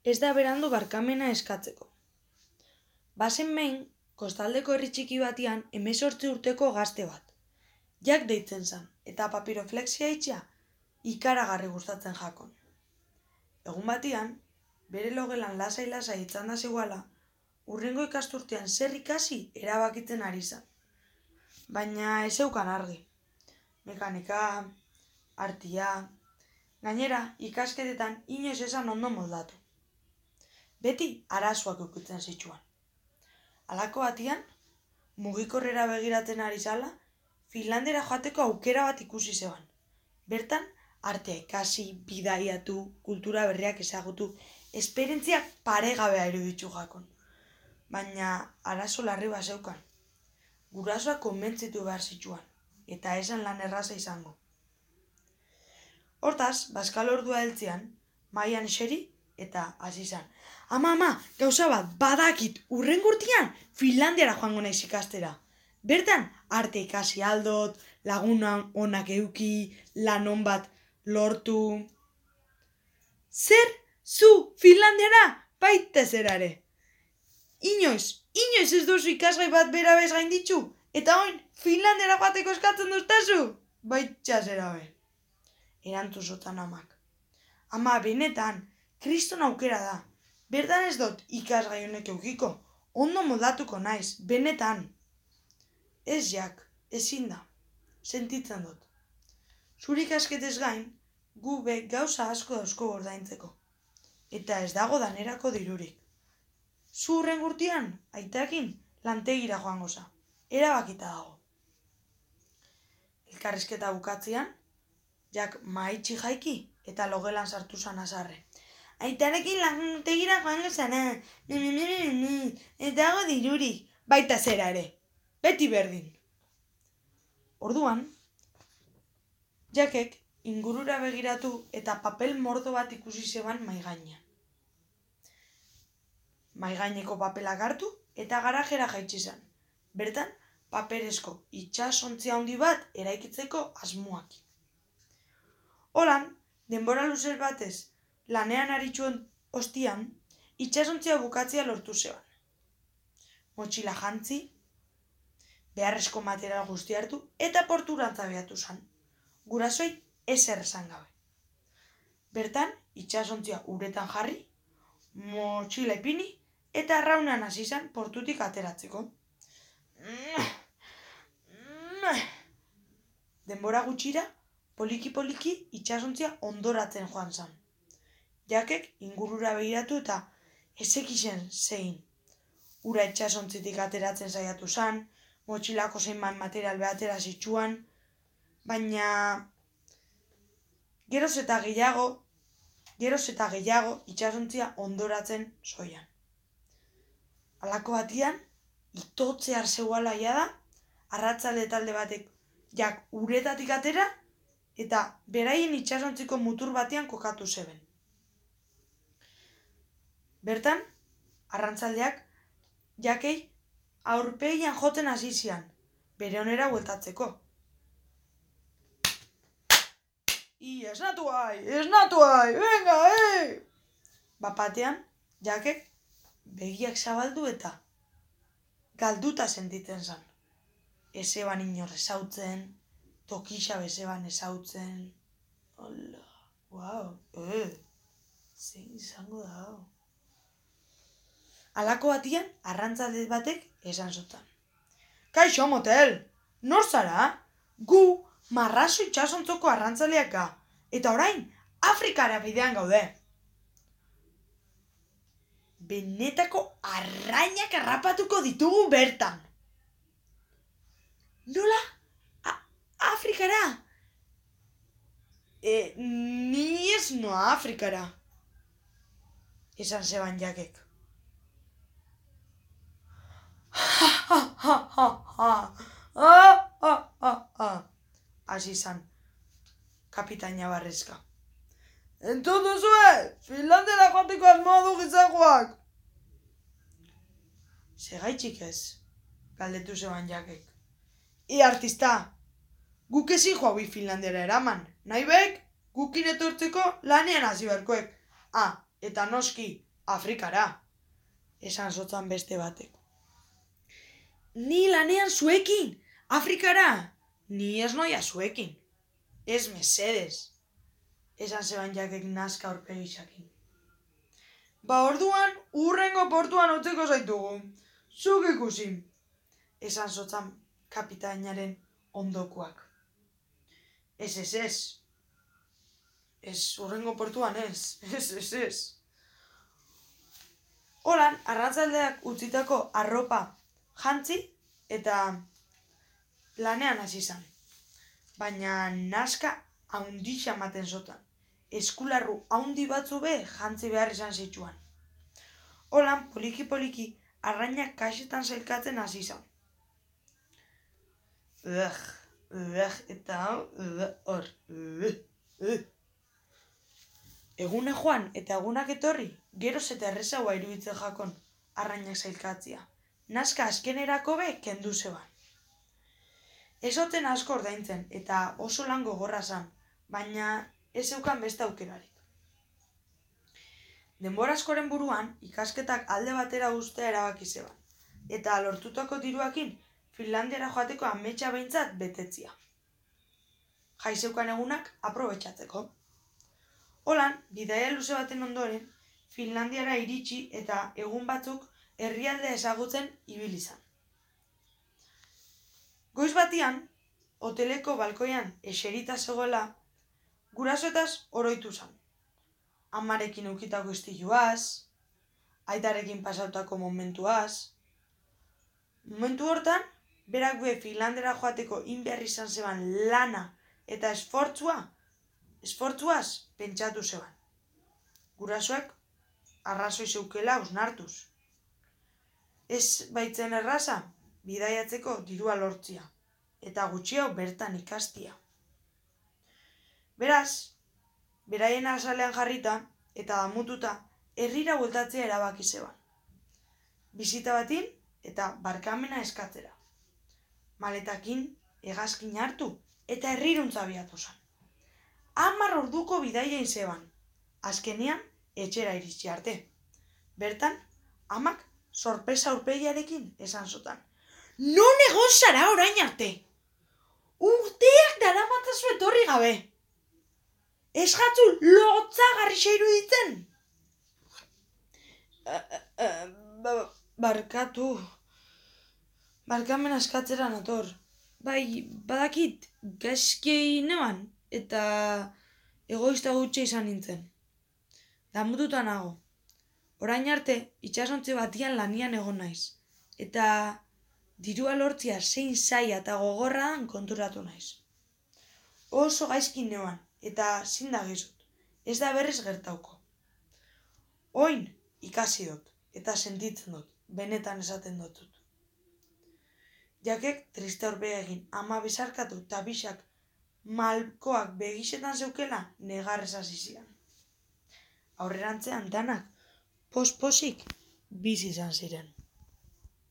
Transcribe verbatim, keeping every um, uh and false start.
ez da berandu barkamena eskatzeko. Bazen behin, kostaldeko herri txiki batian hemezortzi urteko gazte bat. Jak deitzen zan, eta papiroflexia itxia ikaragarri gustatzen jakon. Egun batian, bere logelan lasai-lasai itzanda zegoala, hurrengo ikasturtean zer ikasi erabakitzen ari zan. Baina ez zeukan argi. Mekanika, artia, gainera ikasketetan inoiz esan ondo moldatu. Beti arazoak ukitzen zitsuan. Halako batian, mugikorrera begiratzen ari zala, Finlandera joateko aukera bat ikusi zeban. Bertan, artea ikasi, bidaiatu, kultura berriak ezagutu, esperientziak paregabea iruditu jakon. Baina arazo larri bat zeukan. Gurasoak konbentzitu behar zitsuan, eta esan lan erraza izango. Hortaz, bazkal ordua heltzean, mahaian eseri eta hasi zan. Ama, ama, gauza bat, badakit, hurrengo urtean Finlandiara joango naiz ikastera. Bertan, arte ikasi aldot, laguna onak euki, lan on bat lortu. Zer, zu, Finlandiara, baita zerare. Inoiz, inoiz ez duzu ikasgai bat bera bez gainditzu, eta oin, Finlandiara joateko eskatzen duztazu, baita zerabe. Erantu zotan amak. Ama, benetan, kriston aukera da. Bertan ez dut ikasgai honek eukiko, ondo modatuko naiz, benetan. Ez jak, ezin da, sentitzen dut. Zure ikasketez gain, gu be gauza asko dauzko ordaintzeko. Eta ez dago danerako dirurik. Zu hurren urtean, aitakin, lantegira joango za. Erabakita dago. Elkarrizketa bukatzean, jak maitxi jaiki eta logelan sartu zan azarre. Aitarekin lantegira joango zana, ez dago dirurik, baita zera ere. Beti berdin. Orduan, Jakek ingurura begiratu eta papel mordo bat ikusi zeban maigainean. Maigaineko papelak hartu eta garajera jaitsi zen. Bertan, paperezko itsasontzia handi bat eraikitzeko asmoak. Holan, denbora luze batez lanean aritzuen ostian, itsasontzia bukatzea lortu zeban. Motxila jantzi, beharrezko material guzti hartu eta porturantza beatu zan. Gurasoi ezer esan gabe. Bertan, itsasontzia uretan jarri, motxila ipini eta arraunean hasi zan portutik ateratzeko. Denbora gutxira, poliki-poliki itsasontzia ondoratzen joan zan. Jakek ingurura begiratu eta ezekizen zein. Ura itsasontzitik ateratzen saiatu zan, motxilako zeinban material behatera zitsuan, baina geroz eta gehiago, geroz eta gehiago itsasontzia ondoratzen zoian. Halako batian, itotzear zeuala jada, arratzalde talde batek jak uretatik atera eta beraien itsasontziko mutur batean kokatu zeben. Bertan, arrantzaldeak jakei aurpegian joten hasi zian, bere onera bueltatzeko. I, esnatu gai, esnatu gai, venga, eh! Bapatean, jakek begiak zabaldu eta galduta sentitzen zan. Ezeban inor ezautzen, tokisa bezeban ezautzen. Hola, wow, eh, zein izango da. Halako batian, arrantzalde batek esan zotan. Kaixo, motel, nor zara? Gu marrazo itsasontzoko arrantzaleak ga, eta orain Afrikara bidean gaude. Benetako arrainak harrapatuko ditugu bertan. Nola? A- Afrikara? E, ni ez noa Afrikara, esan zeban jakek. Ha, ha, ha, ha, ha, ha, ha, ha, ha, hasi zan, kapitaina barrezka. Entzun duzue, Finlandera joateko asmoa du gizakoak. Segaitxik ez, galdetu zeban jakek. E artista, guk ezin joabi Finlandera eraman, nahi bek, gukin etortzeko lanean hasi beharkoek. Ah, eta noski, Afrikara, esan zotzan beste batek. Ni lanean zuekin, Afrikara, ni ez noia zuekin. Ez mesedes, esan zeban jakek nazka aurpegisakin. Ba orduan, urrengo portuan utziko zaitugu, zuk ikusi, esan zotzan kapitainaren ondokuak. Ez, ez, ez. Ez, urrengo portuan ez, ez, ez, ez. Holan, arrantzaldeak utzitako arropa jantzi eta lanean hasi izan. Baina naska haundixa ematen zotan. Eskularru haundi batzu be jantzi behar izan zitsuan. Holan, poliki-poliki, arrainak kaxetan zailkatzen hasi izan. Ugh, ugh, eta hor, ugh, ugh. Eguna joan eta egunak etorri, geroz eta errezagoa iruditzen jakon arrainak zailkatzia. Naska azkenerako be kendu zeban. Ez oten asko ordaintzen eta oso lan gogorra zan, baina ez zeukan beste aukerarik. Denbora askoren buruan ikasketak alde batera uztea erabaki zeban, eta lortutako diruakin Finlandiara joateko ametsa behintzat betetzia. Jai zeukan egunak aprobetxatzeko. Holan, bidaia luze baten ondoren, Finlandiara iritsi eta egun batzuk herrialdea ezagutzen ibili izan. Goiz batian, hoteleko balkoian eserita zegoela, gurasoetaz oroitu zan. Amarekin eukitako istiluaz, aitarekin pasautako momentuaz. Momentu hortan, berak be Finlandera joateko inbehar izan zeban lana eta esfortzua, esfortzuaz pentsatu zeban. Gurasoek arrazoi zeukela hausnartuz. Ez baitzen erraza, bidaiatzeko dirua lortzia, eta gutxiago bertan ikastia. Beraz, beraien azalean jarrita eta damututa herrira bueltatzea erabaki zeban. Bisita batin eta barkamena eskatzera. Maletakin, hegazkin hartu eta herriruntza abiatu zan. Hamar orduko bidaiain zeban, azkenean etxera iritsi arte. Bertan, amak sorpresa aurpegiarekin esan zotan. Non egon zara orain arte? Urteak daramatzazu etorri gabe. Ez jatzu lotzagarrixa iruditzen? Barkatu. Barkamen askatzera nator. Bai, badakit, gaizkei neban, eta egoista gutxe izan nintzen. Damututa nago. Orain arte, itxasontzi batian lanian egon naiz. Eta dirua lortzia zein zaila eta gogorra dan konturatu naiz. Oso gaizkin neban, eta zin da gizut, ez da berriz gertauko. Oin ikasi dut, eta sentitzen dut, benetan esaten dutut. Jakek triste aurpega egin, ama bizarkatu eta bisak malkoak begisetan zeukela negarrez hasi zian. Aurrerantzean danak pos-posik bizi izan ziren.